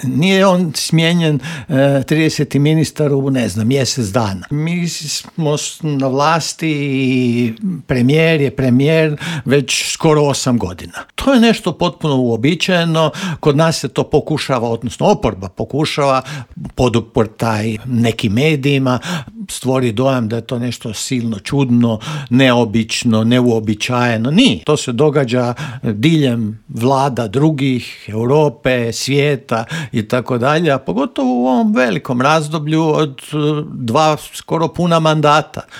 Nije on smijenjen 30. ministar u, ne znam, mjesec dana. Mi smo na vlasti i premijer je premijer već skoro 8 godina. To je nešto potpuno uobičajeno, kod nas se to pokušava, odnosno oporba pokušava poduprtaj nekim medijima, stvori dojam da je to nešto silno čudno, neobično, neuobičajeno. Nije. To se događa diljem vlada drugih, Europe, svijeta i tako dalje, a pogotovo u ovom velikom razdoblju od 2 skoro puna mandata.